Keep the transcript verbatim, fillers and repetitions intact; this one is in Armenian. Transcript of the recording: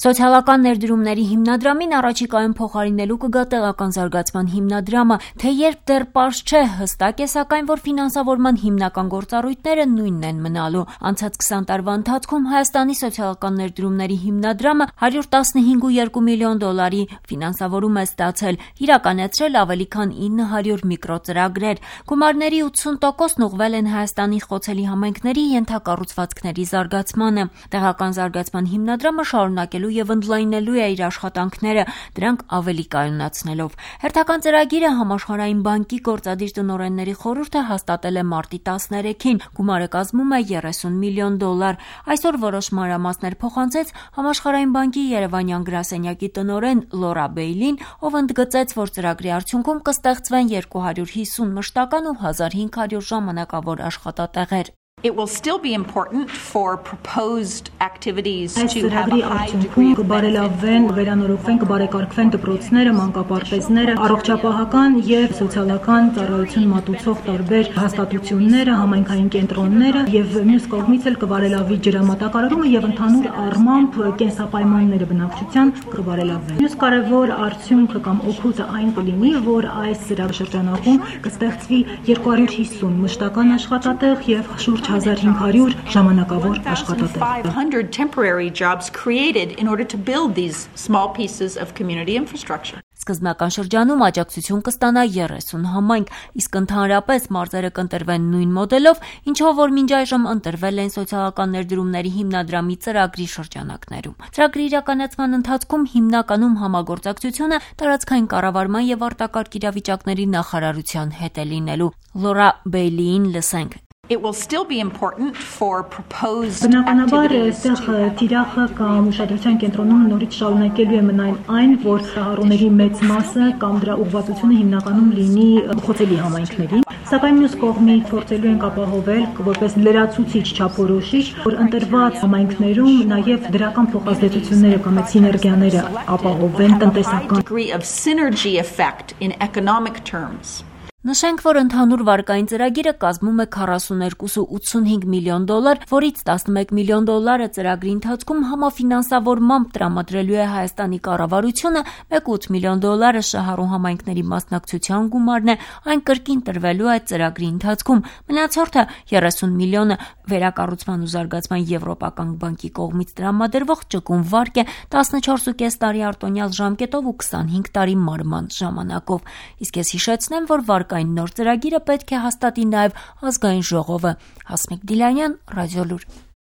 Սոցիալական ներդրումների հիմնադրամին առաջիկայում փոխարինելու կգա տեղական զարգացման հիմնադրամը, թե երբ դեռ պարզ չէ, հստակ է սակայն, որ ֆինանսավորման հիմնական գործառույթները նույնն են մնալու։ Անցած քսան տարվա ընթացքում Հայաստանի սոցիալական ներդրումների հիմնադրամը հարյուր տասնհինգ կόμμα երկու միլիոն դոլարի ֆինանսավորում է ստացել, իրականացրել ավելի քան ինը հարյուր միկրոծրագրեր։ Գումարների ութսուն տոկոսն ուղղվել են Հայաստանի խոցելի համայնքների ենթակառուցվածքների զարգացմանը։ Տեղական զարգացման հիմնադրամը շարունակելու և ընդլայնելու է իր աշխատանքները, դրանք ավելի կայունացնելով։ Հերթական ծրագիրը Համաշխարհային բանկի գործադիր տնօրենների խորհուրդը հաստատել է մարտի տասներեքին, գումարը կազմում է երեսուն միլիոն դոլար։ Այսօր որոշ մանրամասներ փոխանցեց Համաշխարհային բանկի երևանյան գրասենյակի տնօրեն Լորա Բեյլին, ով ընդգծեց, որ ծրագրի արդյունքում կստեղծվեն երկու հարյուր հիսուն մշտական ու հազար հինգ հարյուր ժամանակավոր աշխատատեղեր։ It will still be important for proposed activities Այս to have ծրագրի a high արդյունքում degree of կբարելավվեն, վերանորոգվեն, կբարեկարգվեն դպրոցները, մանկապարտեզները, առողջապահական և սոցիալական ծառայություն մատուցող տարբեր հաստատությունները, համայնքային կենտրոնները և մյուս կողմից էլ կբարելավվի ջրամատակարարումը և ընդհանուր առմամբ կենսապայմանները բնակչության կբարելավվեն։ Մյուս կարևոր արդյունքը կամ օգուտը այն կլինի, որ այս ծրագրաշրջանակում կստեղծվի երկու հարյուր հիսուն մշտական աշխատատեղ և շուրջ հազար հինգ հարյուր ժամանակավոր աշխատատեղ։ five hundred temporary jobs created in order to build these small pieces of community infrastructure. Սկզբնական շրջանում աջակցություն կստանա երեսուն համայնք, իսկ ընդհանրապես մարզերը կընտրվեն նույն մոդելով, ինչով որ մինչ այժմ ընտրվել են սոցիալական ներդրումների հիմնադրամի ծրագրի շրջանակներում։ Ծրագրի իրականացման ընթացքում հիմնականում համագործակցությունը տարածքային կառավարման և արտակարգ իրավիճակների նախարարության հետ է լինելու։ Լորա Բեյլիին լսենք։ It will still be important for proposed Բնականաբար activities այստեղ թիրախը կամ ուշադրության կենտրոնում նորից շարունակելու է մնալ այն, որ հառոների մեծ մասը կամ դրա ուղղվածությունը հիմնականում լինի խոցելի համայնքներին, սակայն մյուս կողմից փորձելու ենք ապահովել որպես լրացուցիչ չափորոշիչ, որ ընտրված համայնքներում նաև դրական փոխազդեցությունները կամ սիներգիաները ապահովեն տնտեսական degree of synergy effect in economic terms. Նշենք, որ ընդհանուր վարկային ծրագիրը կազմում է քառասուններկու կόμμα ութսունհինգ միլիոն դոլար, որից տասնմեկ միլիոն դոլարը ծրագրի ընթացքում համաֆինանսավորմամբ տրամադրելու է Հայաստանի կառավարությունը, մեկ կόμμα ութ միլիոն դոլարը շահառու համայնքների մասնակցության գումարն է, այն կրկին տրվելու է ծրագրի ընթացքում, մնացորդը երեսուն միլիոնը վերակառուցման ու զարգացման եվրոպական բանկի կողմից տրամադրվող ճկուն վարկ է տասնչորս ու կես տարի արտոնյալ ժամկետով ու քսանհինգ տարի մարման ժամանակով։ Իսկ ես հիշեցնեմ, որ վարկային նոր ծրագիրը պետք է հաստատի նաև ազգային ժողովը։ Հասմիկ Դիլանյան, Ռադիոլուր։